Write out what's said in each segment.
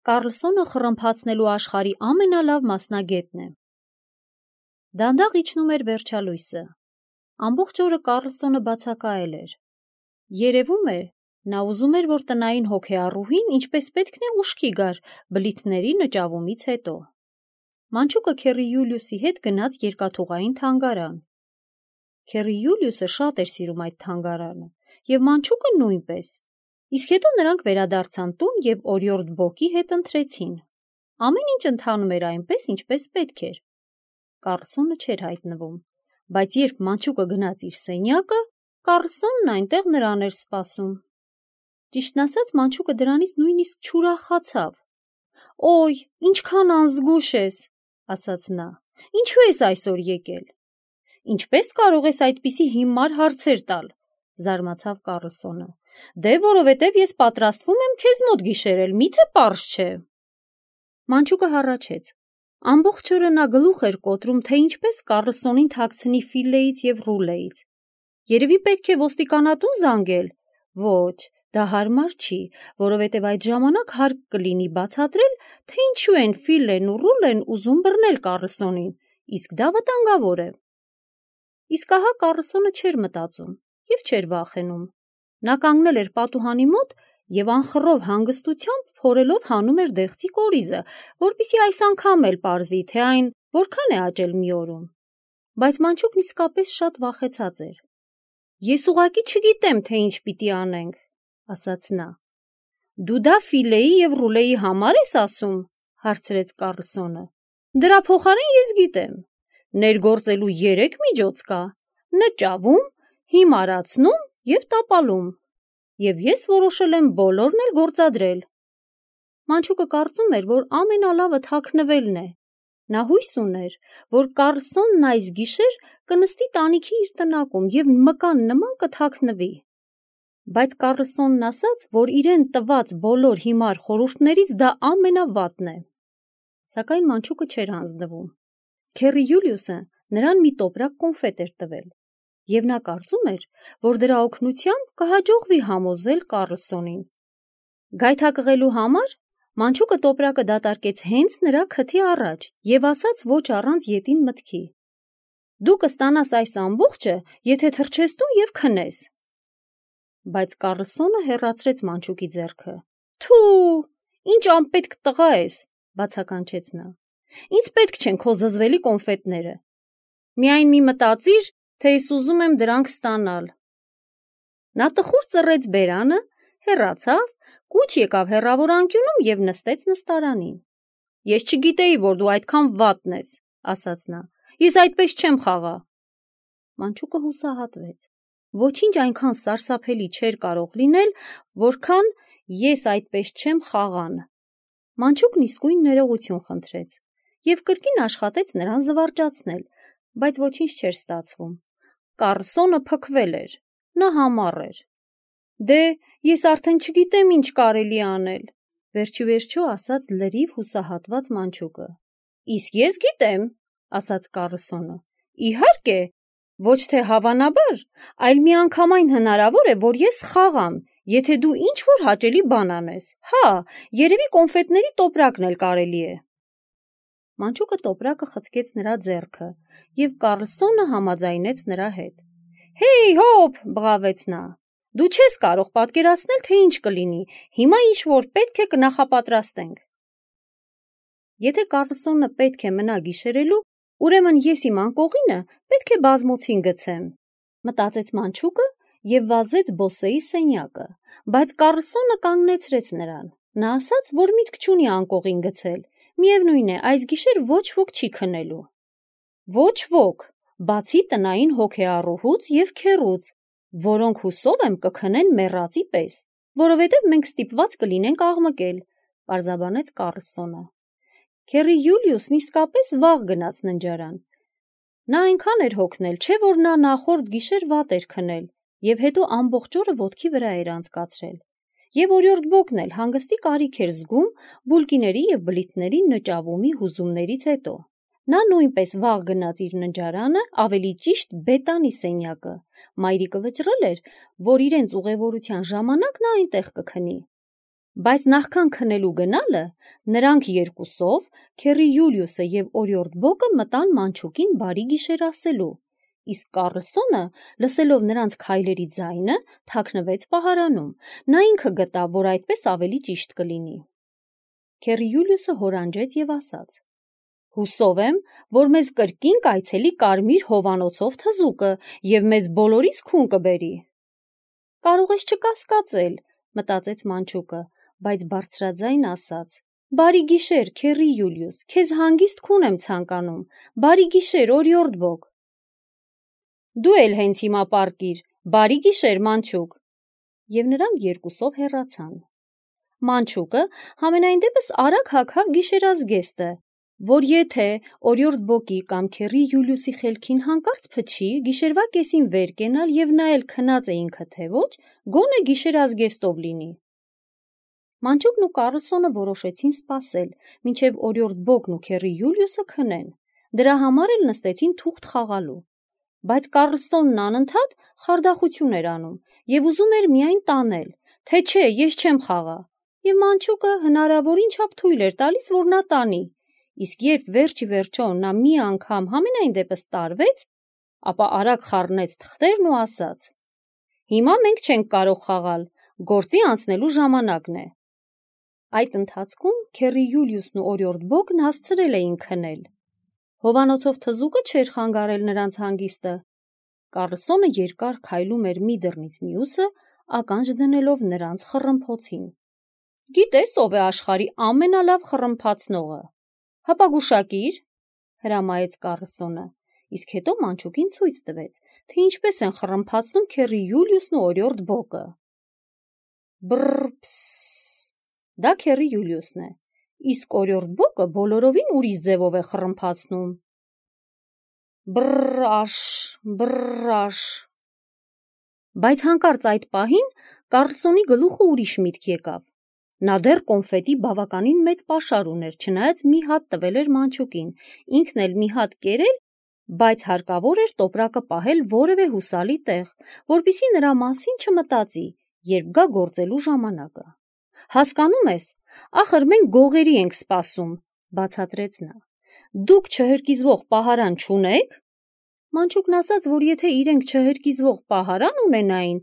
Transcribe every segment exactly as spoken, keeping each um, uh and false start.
Կարլսոնը խռմփացնելու աշխարհի ամենալավ մասնագետն է։ Դանդաղ իջնում էր վերջալույսը։ Ամբողջ օրը Կարլսոնը բացակայել էր։ Երևում էր, նա ուզում էր, որ տնային հոգեառուհին ինչպես պետք է ուշքի գար բլիթների նճավումից հետո։ Մանչուկը Քերի Յուլիուսի հետ գնաց երկաթուղային թանգարան։ Քերի Յուլիուսը շատ էր սիրում այդ թանգարանը, և Մանչուկը նույնպես։ Իսկ հետո նրանք վերադարձան տուն և օրիորդ Բոկի հետ ընթրեցին։ Ամեն ինչ ընթանում էր այնպես, ինչպես պետք էր։ Կարլսոնը չէր հայտնվում, բայց երբ Մանչուկը գնաց իր սենյակը, Կարլսոնն այնտեղ նրան էր սպասում։ Ճիշտն ասած, Մանչուկը դրանից նույնիսկ չուրախացավ։ «Օй, ինչքան անզգույշ ես», ասաց նա, «ինչու ես այսօր եկել»։ «Ինչպես կարող ես այդպիսի հիմար հարցեր տալ», զարմացավ Կարլսոնը։ «Դե որովհետև ես պատրաստվում եմ քեզ մոտ գիշերել, միթե պարզ չէ»։ Մանչուկը հառաչեց։ Ամբողջ օրը նա գլուխ էր կոտրում, թե ինչպես Կարլսոնին թաքցնի Ֆիլլեից և Ռուլեից։ Երևի պետք է ոստիկանատուն զանգել։ Ոչ, դա հարմար չի, որովհետև այդ ժամանակ հարկ կլինի բացատրել, թե ինչու են Ֆիլլեն ու Ռուլեն ուզում բռնել Կարլսոնին, իսկ դա վտանգավոր է։ Իսկ ահա Կարլսոնը չէր մտածում և չէր վախենում։ Նա կանգնել էր պատուհանի մոտ և անխռով հանգստությամբ փորելով հանում էր դեղցի կորիզը, որպեսզի այս անգամ էլ պարզի, թե այն որքան է աճել մի օրում։ Բայց Մանչուկն իսկապես շատ վախեցած էր։ «Ես ուղղակի չգիտեմ, թե ինչ պիտի անենք», ասաց նա։ «Դու դա Ֆիլլեի և Ռուլեի համար ես ասում», հարցրեց Կարլսոնը։ «Դրա փոխարեն ես գիտեմ։ Ներգործելու երեք միջոց կա՝ նճավում, հիմարացնում և տապալում։ Եվ ես որոշել եմ բոլորն էլ գործադրել»։ Մանչուկը կարծում էր, որ ամենալավը թաքնվելն է։ Նա հույս ուներ, որ Կարլսոնն այս գիշեր կնստի տանիքի իր տնակում և մկան նման կթաքնվի։ Բայց Կարլսոնն ասաց, որ իրեն տված բոլոր հիմար խորհուրդներից դա ամենավատն է։ Սակայն Մանչուկը չէր հանձնվում։ Քերի Յուլիուսը նրան մի տոպրակ կոնֆետ էր տվել, և նա կարծում էր, որ դրա օգնությամբ կհաջողվի համոզել Կարլսոնին։ Գայթակղելու համար Մանչուկը տոպրակը դատարկեց հենց նրա քթի առաջ և ասաց ոչ առանց ետին մտքի. «Դու կստանաս այս ամբողջը, եթե թռչես տուն և քնես»։ Բայց Կարլսոնը հեռացրեց Մանչուկի ձեռքը։ «Թու, ինչ անպետք տղա ես», բացականչեց նա։ «Ինձ պետք չեն քո զզվելի կոնֆետները։ Միայն մի մտածիր, թե ես ուզում եմ դրանք ստանալ»։ Նա տխուր ծռեց բերանը, հեռացավ, կուչ եկավ հեռավոր անկյունում և նստեց նստարանին։ «Ես չգիտեի, որ դու այդքան վատն ես», ասաց նա։ «Ես այդպես չեմ խաղա»։ Մանչուկը հուսահատվեց։ Ոչինչ այնքան սարսափելի չէր կարող լինել, որքան «ես այդպես չեմ» խաղան։ Մանչուկն իսկույն ներողություն խնդրեց և կրկին աշխատեց նրան զվարճացնել, բայց ոչինչ չէր ստացվում։ Կարլսոնը փքվել էր, նա համառ էր։ «Դե, ես արդեն չգիտեմ ինչ կարելի անել», վերջիվերջո ասաց լրիվ հուսահատված Մանչուկը։ «Իսկ ես գիտեմ», ասաց Կարլսոնը։ «Իհարկե, ոչ թե հավանաբար, այլ միանգամայն հնարավոր է, որ ես խաղամ, եթե դու ինչ-որ հաճելի բան անես։ Հա, երևի կոնֆետների տոպրակն էլ կարելի է»։ Մանչուկը տոպրակը խցկեց նրա ձեռքը, և Կարլսոնը համաձայնեց նրա հետ։ «Հեյ, հոպ», բղավեց նա, «դու չես կարող պատկերացնել, թե ինչ կլինի, հիմա ինչ-որ պետք է կնախապատրաստենք»։ Եթե Կարլսոնը պետք է մնա գիշերելու, ուրեմն ես իմ անկողինը պետք է բազմոցին գցեմ, մտածեց Մանչուկը և վազեց բոսեի սենյակը, բայց Կարլսոնը կանգնեցրեց նրան։ Նա ասաց, որ միտք չունի անկողին գցել, միևնույն է, այս գիշեր ոչ ոք չի քնելու։ Ոչ ոք, բացի տնային հոգեառուհուց և քեռուց, որոնք հուսով եմ կքնեն մեռածի պես, որովհետև մենք ստիպված կլինենք աղմկել, պարզաբանեց Կարլսոնը։ Քերի Յուլիուսն իսկապես վաղ գնաց ննջարան։ Նա այնքան էր հոգնել, չէ՞ որ նա նախորդ գիշեր վատ էր քնել և հետո ամբողջ օրը ոտքի վրա էր անցկացրել։ Եվ օրիորդ Բոկն էլ հանգստի կարիք էր զգում բուլկիների և բլիթների նճավումի հուզումներից հետո։ Նա նույնպես վաղ գնաց իր ննջարանը, ավելի ճիշտ Բետանի սենյակը։ Մայրիկը վճռել էր, որ իրենց ուղևորության ժամանակ նա այնտեղ կքնի։ Բայց նախքան քնելու գնալը, նրանք երկուսով, Քերի Յուլիուսը և օրիորդ Բոկը մտան Մանչուկին բարի գիշեր ասելու, իսկ Կառլսոնը, լսելով նրանց քայլերի ձայնը, թաքնվեց պահարանում, նա ինքը գտավ, որ այդպես ավելի ճիշտ կլինի։ Քերի Յուլիուսը հորանջեց և ասաց. «Հուսով եմ, որ մեզ կրկին կայցելի կարմիր հովանոցով թզուկը և մեզ բոլորիս քուն կբերի»։ «Կարող ես չկասկածել», մտածեց Մանչուկը, բայց բարձրաձայն ասաց. «Բարի գիշեր, Քերի Յուլիուս, քեզ հանգիստ քուն եմ ցանկանում, բարի գիշեր, օրիորդ Բոկ»։ «Դու էլ հենց հիմա պառկիր, բարի գիշեր, Մանչուկ»։ Եվ նրանք երկուսով հեռացան։ Մանչուկը համենայն դեպս արագ հագավ գիշերազգեստը, որ եթե օրիորդ Բոկի կամ Քերի Յուլիուսի խելքին հանկարծ փչի գիշերվա կեսին վեր կենալ և նայել քնած է ինքը թե ոչ, գոնե գիշերազգեստով լինի։ Մանչուկն ու Կառլսոնը որոշեցին սպասել, մինչև օրիորդ Բոկն ու Քերի Յուլիուսը քնեն, դրա համար էլ նստեցին թուղթ խաղալու։ Բայց Կառլսոնն անընդհատ խարդախություն էր անում և ուզում էր միայն տանել, թե չէ, ես չեմ խաղա, և Մանչուկը հնարավորին չափ թույլ էր տալիս, որ նա տանի, իսկ երբ վերջ ի վերջո նա մի անգամ համենայն դեպս տարվեց, ապա արագ խառնեց թղթերն ու ասաց. «Հիմա մենք չենք կարող խաղալ, գործի անցնելու ժամանակն է»։ Այդ ընթացքում Քերի Յուլիուսն ու օրիորդ Բոկն հասցրել էին քնել։ Հովանոցով թզուկը չէր խանգարել նրանց հանգիստը։ Կառլսոնը երկար քայլում էր մի դռնից մյուսը, ականջ դնելով նրանց խռմփոցին։ «Գիտես ով է աշխարհի ամենալավ խռմփացնողը»։ «Հապա հրամայեց Կառլսոնը, իսկ հետո Մանչուկին ցույց տվեց, թե ինչպես են խռմփացնում Քերի Յուլիուսն ու օրիորդ Բոկը։ Բռ-փս, դա Քերի Յուլիուսն է, իսկ օրիորդ Բոկը բոլորովին ուրիշ ձևով է խռմփացնում։ Բռ-աշ, բռ-աշ։ Բայց հանկարծ այդ պահին Կառլսոնի գլուխը ուրիշ միտք եկավ։ Նա դեռ կոնֆետի բավականին մեծ պաշար ուներ, չնայած մի հատ տվել էր Մանչուկին, ինքն էլ մի հատ կերել, բայց հարկավոր էր տոպրակը պահել որևէ հուսալի տեղ, որպեսզի նրա մասին չմտածի, երբ գա գործելու ժամանակը։ «Հասկանում ես, ախր մենք գողերի ենք սպասում», բացատրեց նա։ «Դուք չհրկիզվող պահարան չունե՞ք»։ Մանչուկն ասաց, որ եթե իրենք չհրկիզվող պահարան ունենային,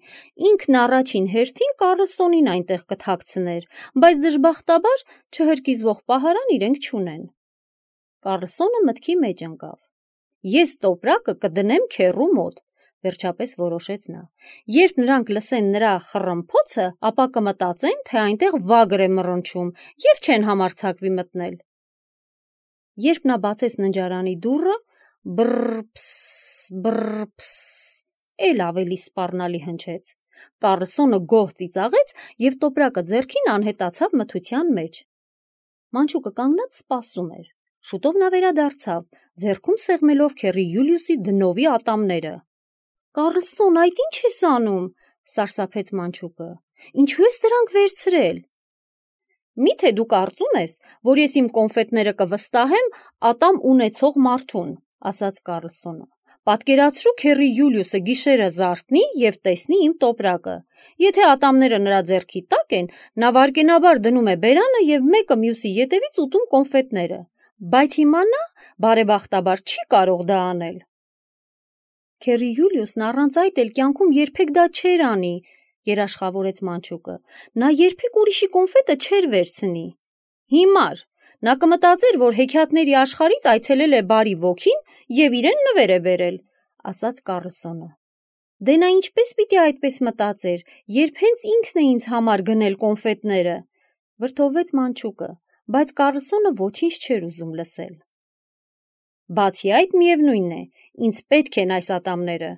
ինքն առաջին հերթին Կառլսոնին այնտեղ կթաքցներ, բայց դժբախտաբար չհրկիզվող պահարան իրենք չունեն։ Կառլսոնը մտքի մեջ ընկավ։ «Ես տոպրակը կդնեմ քեռու մոտ», վերջապես որոշեց նա։ «Երբ նրանք լսեն նրա խռմփոցը, ապա կմտածեն, թե այնտեղ վագր է մռնչում և չեն համարձակվի մտնել»։ Երբ նա բացեց ննջարանի դուռը, բռ-փս, բռ-փս, էլ ավելի սպառնալի հնչեց։ Կառլսոնը գոհ ծիծաղեց և տոպրակը ձեռքին անհետացավ մթության մեջ։ Մանչուկը կանգնած սպասում էր։ Շուտով նա վերադարձավ, ձեռքում սեղմելով Քերի Յուլիուսի դնովի ատամները։ «Կառլսոն, այդ ի՞նչ ես անում», սարսափեց Մանչուկը։ «Ինչու ես դրանք վերցրել»։ «Մի՞թե դու կարծում ես, որ ես իմ կոնֆետները կվստահեմ ատամ ունեցող մարդուն», ասաց Կառլսոնը։ «Պատկերացրու Քերի Յուլիուսը գիշերը զարթնի և տեսնի իմ տոպրակը։ Եթե ատամները նրա ձեռքի տակ են, նա վայրկենաբար դնում է բերանը և մեկը մյուսի ետևից ուտում կոնֆետները, բայց հիմա նա, բարեբախտաբար, չի կարող դա անել»։ Քերի Յուլիուսն առանց այդ էլ կյանքում երբեք դա չէր անի, երաշխավորեց Մանչուկը։ Նա երբեք ուրիշի կոնֆետը չէր վերցնի։ Հիմար նա կմտածեր, որ հեքիաթների աշխարհից այցելել է բարի ոգին և իրեն նվեր է բերել, ասաց Կառլսոնը։ Դե նա ինչպես պիտի այդպես մտածեր, երբ հենց ինքն է ինձ համար գնել կոնֆետները, վրդովվեց Մանչուկը, բայց Կառլսոնը ոչինչ չէր ուզում լսել։ Բացի այդ, միևնույն է, ինձ պետք են այս ատամները,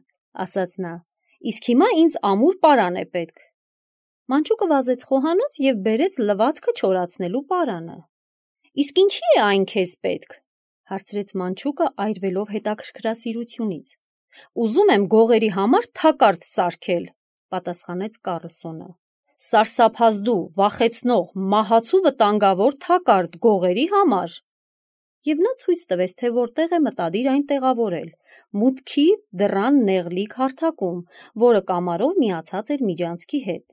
ասաց նա, իսկ հիմա ինձ ամուր պարան է պետք։ Մանչուկը վազեց խոհանոց և բերեց լվացքը չորացնելու պարանը։ Իսկ ինչի է այն քեզ պետք, հարցրեց Մանչուկը այրվելով հետաքրքրասիրությունից։ Ուզում եմ գողերի համար թակարդ սարքել, պատասխանեց Կառլսոնը։ Սարսափազդու, վախեցնող, մահացու վտանգավոր թակարդ գողերի համար։ Եվ նա ցույց տվեց, թե որտեղ է մտադիր այն տեղավորել, մուտքի դռան նեղլիկ հարթակում, որը կամարով միացած էր միջանցքի հետ։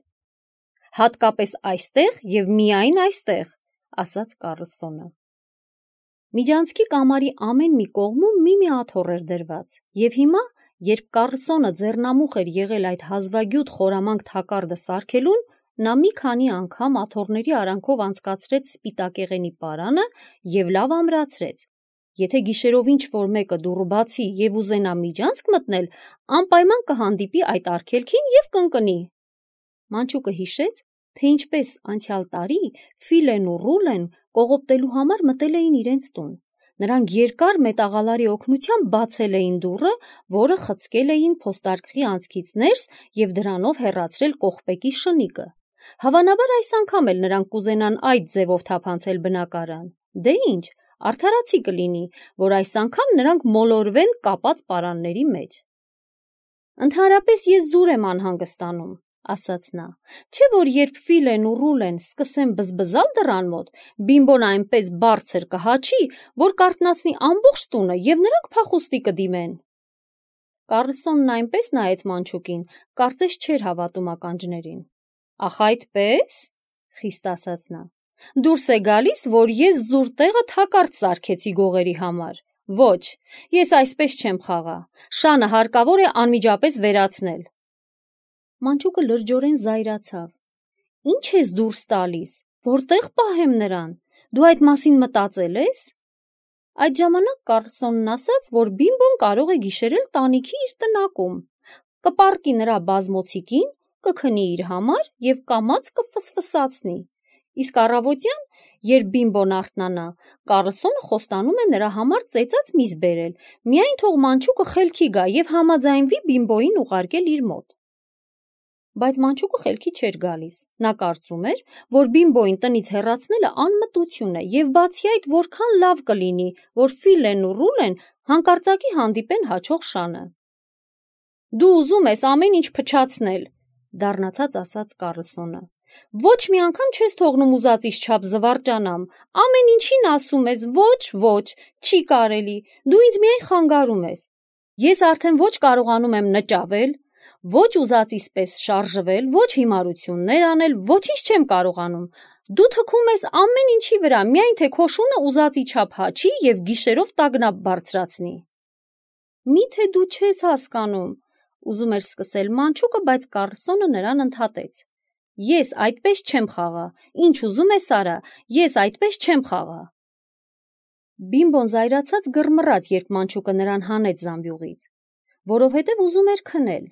հատկապես այստեղ և միայն այստեղ, ասաց Կարլսոնը։ Միջանցքի կամարի ամեն մի կողմում մի-մի աթոռ էր դրված, և հիմա, երբ Կարլսոնը ձեռնամուխ էր եղել այդ հազվագյուտ խորամանկ թակարդը սարքելուն, նա մի քանի անգամ աթոռների արանքով անցկացրեց սպիտակեղենի պարանը և լավ ամրացրեց։ Եթե գիշերով ինչ-որ մեկը դուռը բացի և ուզենա միջանցք մտնել, անպայման կհանդիպի այդ արգելքին և կընկնի։ Մանչուկը հիշեց, թե ինչպես անցյալ տարի Ֆիլեն ու Ռուլեն կողոպտելու համար մտել էին իրենց տուն։ Նրանք երկար մետաղալարի օգնությամբ բացել էին դուռը, որը խցկել էին փոստարկղի անցքից ներս և դրանով հեռացրել կողպեկի շնիկը։ Հավանաբար այս անգամ էլ նրանք կուզենան այդ ձևով թափանցել բնակարան։ Դե ինչ, արդարացի կլինի, որ այս անգամ նրանք մոլորվեն կապած պարանների մեջ։ Ընդհանրապես ես զուր եմ անհանգստանում, ասաց նա, չէ՞ որ երբ Ֆիլեն ու Ռուլեն սկսեն բզբզալ դռան մոտ, Բիմբոն այնպես բարձր կհաչի, որ կարթնացնի ամբողջ տունը և նրանք փախուստի կդիմեն։ Կարլսոնն այնպես նայեց Մանչուկին, կարծես չէր հավատում ականջներին։ Ախ այդպե՞ս, խիստ ասաց նա։ Դուրս է գալիս, որ ես զուր տեղը թակարդ սարքեցի գողերի համար։ Ոչ, ես այսպես չեմ խաղա։ Շանը հարկավոր է անմիջապես վերացնել։ Մանչուկը լրջորեն զայրացավ։ Ինչ ես դուրս տալիս, որտեղ պահեմ նրան, դու այդ մասին մտածել ես։ Այդ ժամանակ Կարլսոնն ասաց, որ Բիմբոն կարող է գիշերել տանիքի իր տնակում, կպառկի նրա բազմոցիկին, կքնի իր համար և կամաց կֆսֆսացնի, իսկ առավոտյան, երբ Բիմբոն արթնանա, Կարլսոնը խոստանում է նրա համար ծեծած միս բերել, միայն թող Մանչուկը խելքի գա և համաձայնվի Բիմբոյին ուղարկել իր մոտ։ Բայց Մանչուկը խելքի չէր գալիս, նա կարծում էր, որ Բիմբոյին տնից հեռացնելը անմտություն է և բացի այդ որքան լավ կլինի, որ Ֆիլեն ու Ռուլեն հանկարծակի հանդիպեն հաջող շանը։ Դու ուզում ես ամեն ինչ փչացնել, դառնացած ասաց Կարլսոնը։ Ոչ մի անգամ չես թողնում ուզածիս չափ զվարճանամ, ամեն ինչին ասում ես ոչ, ոչ, չի կարելի, դու ինձ միայն խանգարում ես։ Ես արդեն ոչ կարողանում եմ նճավել, ոչ ուզածիս պես շարժվել, ոչ հիմարություններ անել, ոչինչ չեմ կարողանում։ Դու թքում ես ամեն ինչի վրա, միայն թե քո շունը ուզածի չափ հաչի և գիշերով տագնապ բարձրացնի։ Միթե դու չես հասկանում, ուզում էր սկսել Մանչուկը, բայց Կարլսոնը նրան ընդհատեց։ Ես այդպես չեմ խաղա, ինչ ուզում ես արա, ես այդպես չեմ խաղա։ Բիմբոն զայրացած գռմռաց, երբ Մանչուկը նրան հանեց զամբյուղից, որովհետև ուզում էր քնել,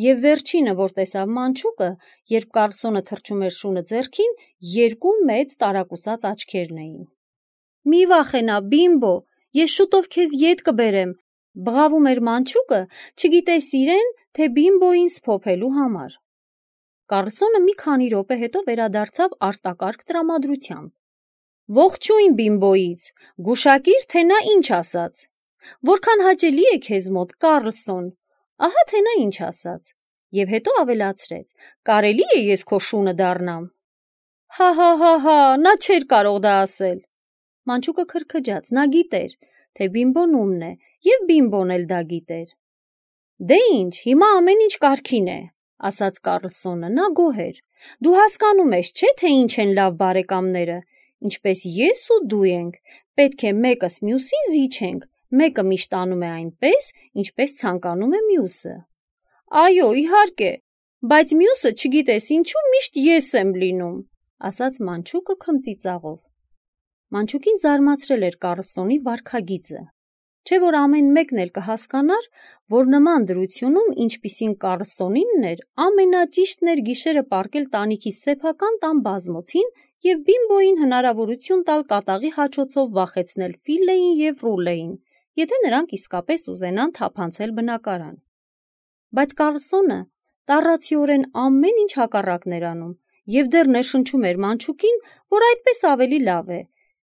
և վերջինը, որ տեսավ Մանչուկը, երբ Կարլսոնը թռչում էր շունը ձեռքին, երկու մեծ տարակուսած աչքերն էին։ Մի վախենա, Բիմբո, ես շուտով քեզ ետ կբերեմ, բղավում էր Մանչուկը, չգիտես իրեն, թե Բիմբոյին սփոփելու համար։ Կարլսոնը մի քանի րոպե հետո վերադարձավ արտակարգ տրամադրությամբ։ Ողջույն Բիմբոյից, գուշակիր, թե նա ինչ ասաց։ Որքան հաճելի է քեզ մոտ, Կարլսոն, ահա թե նա ինչ ասաց։ Եվ հետո ավելացրեց. կարելի է ես քո շունը դառնամ։ Հա հա հա հա, նա չէր կարող դա ասել։ Մանչուկը քրքջաց, նա գիտեր, թե Բիմբոն ումն է, և Բիմբոն էլ դա գիտեր։ Դե ինչ, հիմա ամեն ինչ կարգին է, ասաց Կարլսոնը, նա գոհ էր։ Դու հասկանում ես, չէ՞, թե ինչ են լավ բարեկամները, ինչպես ես ու դու ենք, պետք է մեկս մյուսին զիջենք, մեկը միշտ անում է այնպես, ինչպես ցանկանում է մյուսը։ Այո, իհարկե, բայց մյուսը, չգիտես ինչու, միշտ ես եմ լինում, ասաց Մանչուկը քմծիծաղով։ Մանչուկին զարմացրել էր Կարլսոնի վարքագիծը, չէ՞ որ ամեն մեկն էլ կհասկանար, որ նման դրությունում, ինչպիսին Կարլսոնինն էր, ամենաճիշտն էր գիշերը պառկել տանիքի սեփական տան բազմոցին և Բիմբոյին հնարավորություն տալ կատաղի հաչոցով վախեցնել Ֆիլեին և Ռուլեին, եթե նրանք իսկապես ուզենան թափանցել բնակարան։ Բայց Կարլսոնը տառացիորեն ամեն ինչ հակառակն էր անում և դեռ ներշնչում էր Մանչուկին, որ այդպես ավելի լավ է,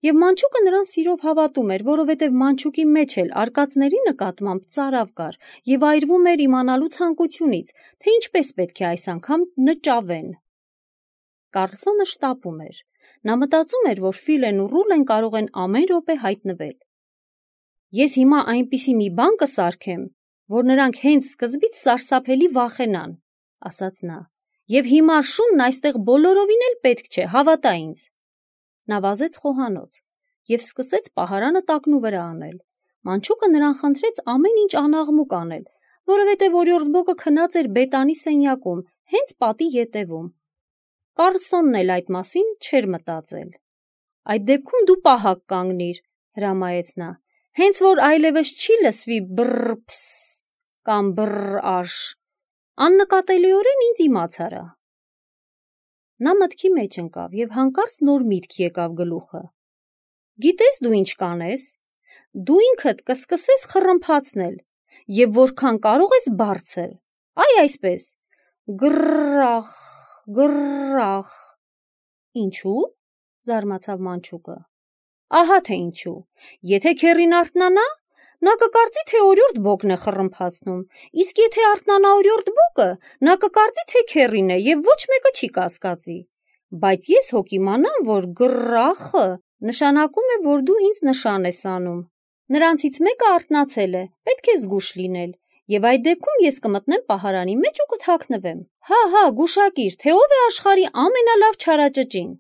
և Մանչուկը նրան սիրով հավատում էր, որովհետև Մանչուկի մեջ էլ արկածների նկատմամբ ծարավ կար և այրվում էր իմանալու ցանկությունից, թե ինչպես պետք է այս անգամ նճավեն։ Կարլսոնը շտապում էր։ Նա մտածում էր, որ Ֆիլեն ու Ռուլեն կարող են ամեն րոպե հայտնվել։ Ես հիմա այնպիսի մի բան կսարքեմ, որ նրանք հենց սկզբից սարսափելի վախենան, ասաց նա, Եվ հիմար շունն այստեղ բոլորովին էլ պետք չէ, հավատա ինձ։ Նա վազեց խոհանոց և սկսեց պահարանը տակնու վրա անել։ Մանչուկը նրան խնդրեց ամեն ինչ անաղմուկ անել, որովհետև օրիորդ Բոկը քնած էր բետանի սենյակում, հենց պատի ետևում։ Կարլսոնն էլ այդ մասին չէր մտածել։ Այդ դեպքում դու պահակ կանգնիր, հրամայեց նա, հենց որ այլևս չի լսվի բռ-փս կամ բռ-աշ, աննկատելիորեն ինձ իմաց արա։ Նա մտքի մեջ ընկավ և հանկարծ նոր միտք եկավ գլուխը։ Գիտես դու ինչ կանես, դու ինքդ կսկսես խռմփացնել և որքան կարող ես բարձր, այ այսպես, գրռախ, գրռախ։ Ինչու՞, զարմացավ մանչուկը։ Ահա թե ինչու, եթե քեռին արթնանա, նա կկարծի, թե օրիորդ Բոկն է խռմփացնում, իսկ եթե արթնանա օրիորդ Բոկը, նա կկարծի, թե քեռին է և ոչ մեկը չի կասկածի։ Բայց ես հո կիմանամ, որ գրռախը նշանակում է, որ դու ինձ նշան ես անում։ Նրանցից մեկը արթնացել է, պետք է զգույշ լինել, և այդ դեպքում ես կմտնեմ պահարանի մեջ ու կթաքնվեմ։ Հա, հա, գուշակիր, թե ով է աշխարհի ամենալավ չարաճճին։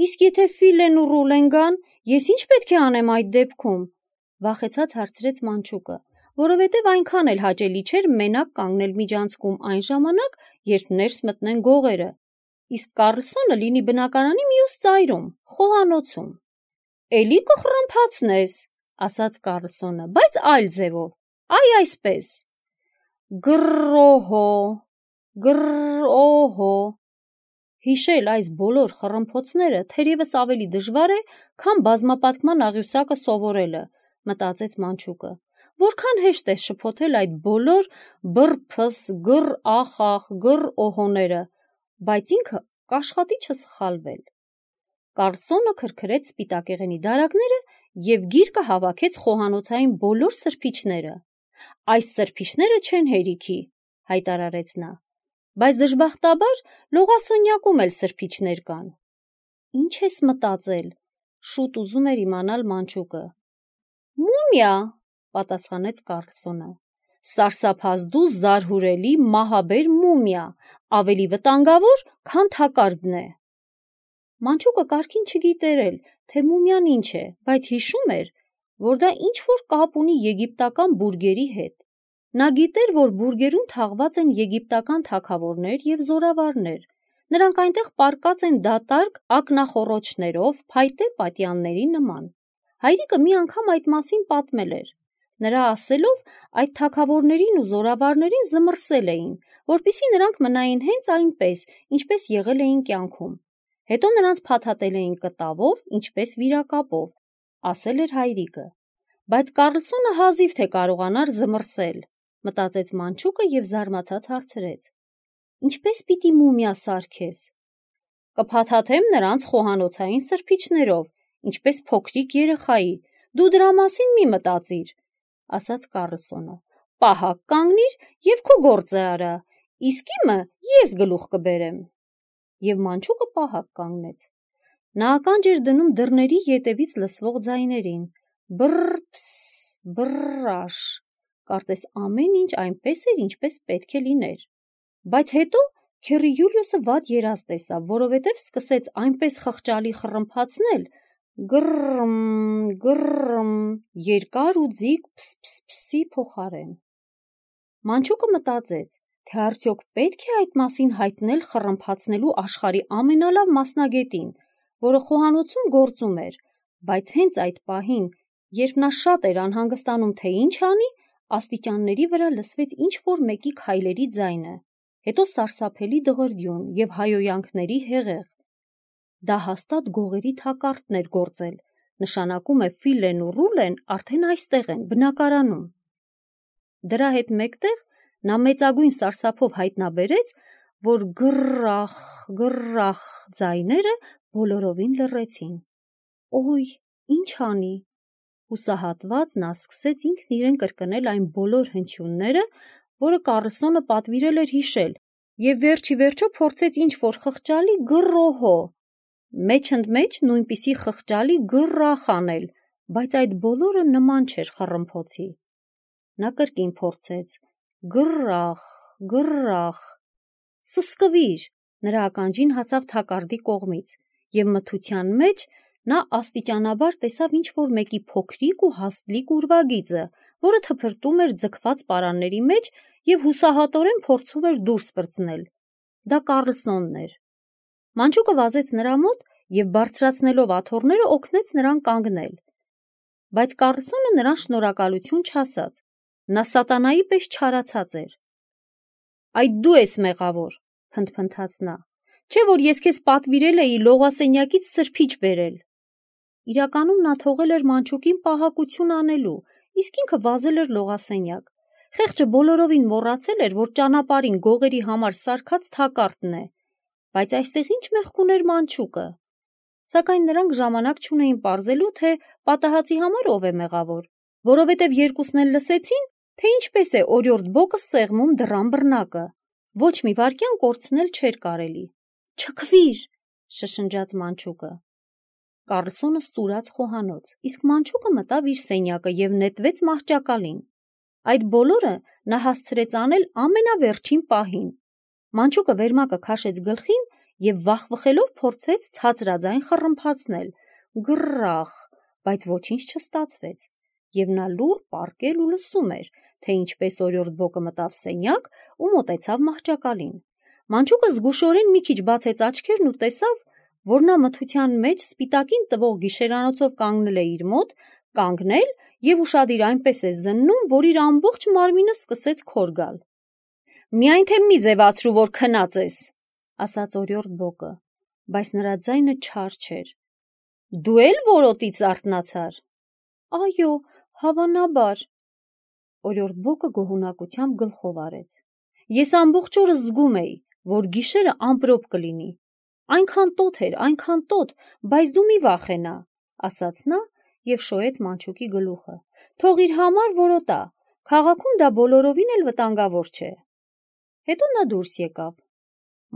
Իսկ եթե Ֆիլեն ու Ռուլեն գան, ես ինչ պետք է անեմ այդ դեպքում, վախեցած հարցրեց մանչուկը, որովհետև այնքան էլ հաճելի չէր մենակ կանգնել միջանցքում այն ժամանակ, երբ ներս մտնեն գողերը, իսկ Կարլսոնը լինի բնակարանի մյուս ծայրում, խոհանոցում։ Էլի կխռմփացնես, ասաց Կարլսոնը, բայց այլ ձևով, այ այսպես. գրռոհո, գրռոհո։ Հիշել այս բոլոր խռմփոցները թերևս ավելի դժվար է, քան բազմապատկման աղյուսակը սովորելը, մտածեց մանչուկը, որքան հեշտ է շփոթել այդ բոլոր բռ-փս, գրռ-ախ-ախ, գրռ-օհոները, բայց ինքը կաշխատի չսխալվել։ Կարլսոնը քրքրեց սպիտակեղենի դարակները և գիրկը հավաքեց խոհանոցային բոլոր սրբիչները։ Այս սրբիչները չեն հերիքի, հայտարարեց նա, բայց դժբախտաբար լողասոնյակում էլ սրբիչներ կան։ Ինչ ես մտածել, շուտ ուզում էր իմանալ մանչուկը։ Մումիա, պատասխանեց Կարլսոնը, սարսափազդու զարհուրելի մահաբեր մումիա, ավելի վտանգավոր, քան թակարդն է։ Մանչուկը կարգին չգիտեր էլ, թե մումիան ինչ է, բայց հիշում էր, որ դա ինչ-որ կապ ունի եգիպտական բուրգերի հետ։ Նա գիտեր, որ բուրգերում թաղված են եգիպտական թագավորներ և զորավարներ։ Նրանք այնտեղ պառկած են դատարկ ակնախոռոչներով, փայտե պատյանների նման։ Հայրիկը մի անգամ այդ մասին պատմել էր։ Նրա ասելով, այդ թագավորներին ու զորավարներին զմռսել էին, որպեսզի նրանք մնային հենց այնպես, ինչպես եղել էին կյանքում։ Հետո նրանց փաթաթել էին կտավով, ինչպես վիրակապով, ասել էր հայրիկը։ Բայց Կարլսոնը հազիվ թե կարողանար զմռսել, մտածեց մանչուկը և զարմացած հարցրեց. Ինչպես պիտի մումիա սարքես։ Կփաթաթեմ նրանց խոհանոցային սրբիչներով, ինչպես փոքրիկ երեխայի, դու դրա մասին մի մտածիր, ասաց Կարլսոնը, պահակ կանգնիր և քո գործը արա, իսկ իմը ես գլուխ կբերեմ։ Եվ մանչուկը պահակ կանգնեց։ Նա ականջ էր դնում դռների ետևից լսվող ձայներին. բռ-փս, բռ-աշ, կարծես ամեն ինչ այնպես էր, ինչպես պետք է լիներ։ Բայց հետո քեռի Յուլիուսը վատ երազ տեսավ, որովհետև սկսեց այնպես խղճալի խռմփացնել, գրռմ, գրռմ, երկար ու ձիգ փս-փս-փսի փոխարեն։ Մանչուկը մտածեց, թե արդյոք պետք է այդ մասին հայտնել խռմփացնելու աշխարհի ամենալավ մասնագետին, որը խոհանոցում գործում էր, բայց հենց այդ պահին, երբ նա շատ էր անհանգստանում, թե ինչ անի, աստիճանների վրա լսվեց ինչ-որ մեկի քայլերի ձայնը, հետո սարսափելի դղրդյուն և հայհոյանքների հեղեղ։ Դա հաստատ գողերի թակարդն էր գործել, նշանակում է Ֆիլեն ու Ռուլեն արդեն այստեղ են, բնակարանում։ Դրա հետ մեկտեղ նա մեծագույն սարսափով հայտնաբերեց, որ գրռախ, գրռախ ձայները բոլորովին լռեցին։ Օй, ինչ անի։ Հուսահատված նա սկսեց ինքն իրեն կրկնել այն բոլոր հնչյունները, որը Կարլսոնը պատվիրել էր հիշել, և վերջ ի վերջո փորձեց ինչ-որ խղճալի գրռոհո, մեջ-ընդմեջ նույնպիսի խղճալի գրռախ անել, բայց այդ բոլորը նման չէր խռմփոցի։ Նա կրկին փորձեց. գրռախ, գրռախ, Սսկվիր, նրա ականջին հասավ թակարդի կողմից, և մթության մեջ նա աստիճանաբար տեսավ ինչ-որ մեկի փոքրիկ ու հաստլիկ ուրվագիծը, որը թփրտում էր ձգված պարանների մեջ և հուսահատորեն փորձում էր դուրս պրծնել. դա Կառլսոնն էր։ Մանչուկը վազեց նրա մոտ և բարձրացնելով աթոռները օգնեց նրան կանգնել, բայց Կառլսոնը նրան շնորհակալություն չասաց, նա սատանայի պես չարացած էր։ Այդ դու ես մեղավոր, փնթփնթաց նա, չէ՞ որ ես քեզ պատվիրել էի լողասենյակից սրբիչ բերել։ Իրականում նա թողել էր մանչուկին պահակություն անելու, իսկ ինքը վազել էր լողասենյակ։ Խեղճը բոլորովին մոռացել էր, որ ճանապարհին գողերի համար սարքած թակարդն է, բայց այստեղ ինչ մեղք ուներ մանչուկը։ Սակայն նրանք ժամանակ չունեին պարզելու, թե պատահածի համար ով է մեղավոր, որովհետև երկուսն էլ լսեցին, թե ինչպես է օրիորդ Բոկը սեղմում դռան բռնակը։ Ոչ մի վայրկյան կորցնել չէր կարելի։ Չքվիր, շշնջաց մանչուկը։ Կառլսոնը ստուրաց խոհանոց, իսկ մանչուկը մտավ իր սենյակը և նետվեց մահճակալին։ Այդ բոլորը նա հասցրեց անել ամենավերջին պահին։ Մանչուկը վերմակը քաշեց գլխին և վախվխելով փորձեց ցածրաձայն խռմփացնել. «Գռռախ», բայց ոչինչ չստացվեց, և նա լուռ պառկել ու լսում էր, թե ինչպես օրիորդ Բոկը մտավ սենյակ ու մոտեցավ մահճակալին։ Մանչուկը զգուշորեն մի քիչ բացեց աչքերն ու տեսավ, որ նա մթության մեջ սպիտակին տվող գիշերանոցով կանգնել է իր մոտ, կանգնել և ուշադիր այնպես է զննում, որ իր ամբողջ մարմինը սկսեց քոր գալ։ «Միայն թե մի ձևացրու, որ քնած ես», ասաց օրիորդ Բոկը, բայց նրա ձայնը չար չէր։ «Դու էլ որոտից արթնացար»։ «Այո, հավանաբար»։ Օրիորդ Բոկը գոհունակությամբ գլխով արեց։ «Ես ամբողջ օրը զգում էի, որ գիշերը ամպրոպ կլինի։ Այնքան տոթ էր, այնքան տոթ, բայց դու մի վախենա», ասաց նա և շոյեց մանչուկի գլուխը։ «Թող իր համար որոտա, քաղաքում դա բոլորովին էլ վտանգավոր չէ»։ Հետո նա դուրս եկավ։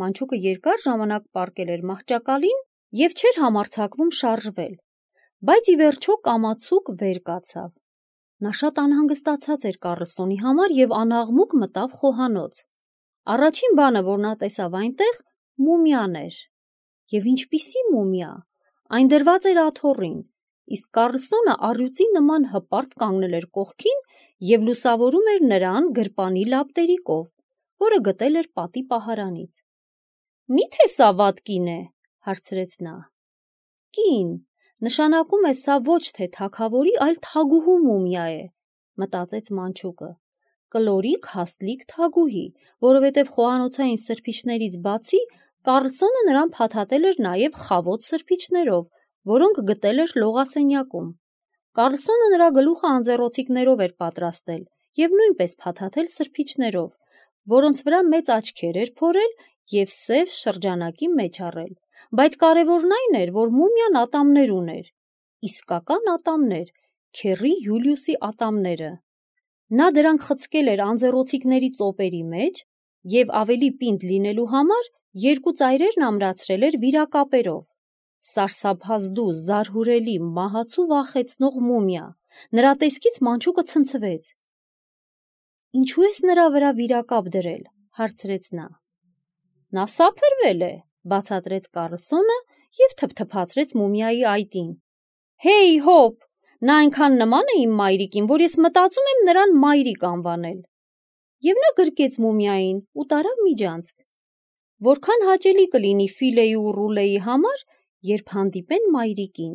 Մանչուկը երկար ժամանակ պառկել էր մահճակալին և չէր համարձակվում շարժվել, բայց ի վերջո կամացուկ վեր կացավ։ Նա շատ անհանգստացած էր Կառլսոնի համար և անաղմուկ մտավ խոհանոց։ Առաջին բանը, որ նա տեսավ այնտեղ, մումիան էր։ Եվ ինչպիսի մումիա, այն դրված էր աթոռին, իսկ Կառլսոնը առյուծի նման հպարտ կանգնել էր կողքին և լուսավորում էր նրան գրպանի լապտերիկով, որը գտել էր պատի պահարանից։ «Մի՞թե սա վատ կին է», հարցրեց նա։ «Կին, նշանակում է սա ոչ թե թագավորի, այլ թագուհու մումիա է», մտածեց մանչուկը։ Կլորիկ հաստլիկ թագուհի, որովհետև խոհանոցային սրբիչներից բացի Կառլսոնը նրան փաթաթել էր նաև խավոտ սրբիչներով, որոնք գտել էր լողասենյակում։ Կառլսոնը նրա գլուխը անձեռոցիկներով էր պատրաստել և նույնպես փաթաթել սրբիչներով, որոնց վրա մեծ աչքեր էր փորել և սև շրջանակի մեջ առել, բայց կարևորն այն էր, որ մումիան ատամներ ուներ, իսկական ատամներ, քեռի Յուլիուսի ատամները։ Նա դրանք խցկել էր անձեռոցիկների ծոպերի մեջ և ավելի պինդ լինելու համար երկու ծայրերն ամրացրել էր վիրակապերով։ Սարսափազդու, զարհուրելի, մահացու վախեցնող մումիա։ Նրա տեսքից մանչուկը ցնցվեց։ «Ինչու ես նրա վրա վիրակապ դրել», հարցրեց նա։ «Նա սափրվել է», բացատրեց Կառլսոնը և թփթփացրեց մումիայի այտին։ «Հեյ, հոպ, նա այնքան նման է իմ մայրիկին, որ ես մտածում եմ նրան մայրիկ անվանել»։ Եվ նա գրկեց մումիային ու տարավ միջանցք։ Որքան հաճելի կլինի Ֆիլեի ու Ռուլեի համար, երբ հանդիպեն մայրիկին։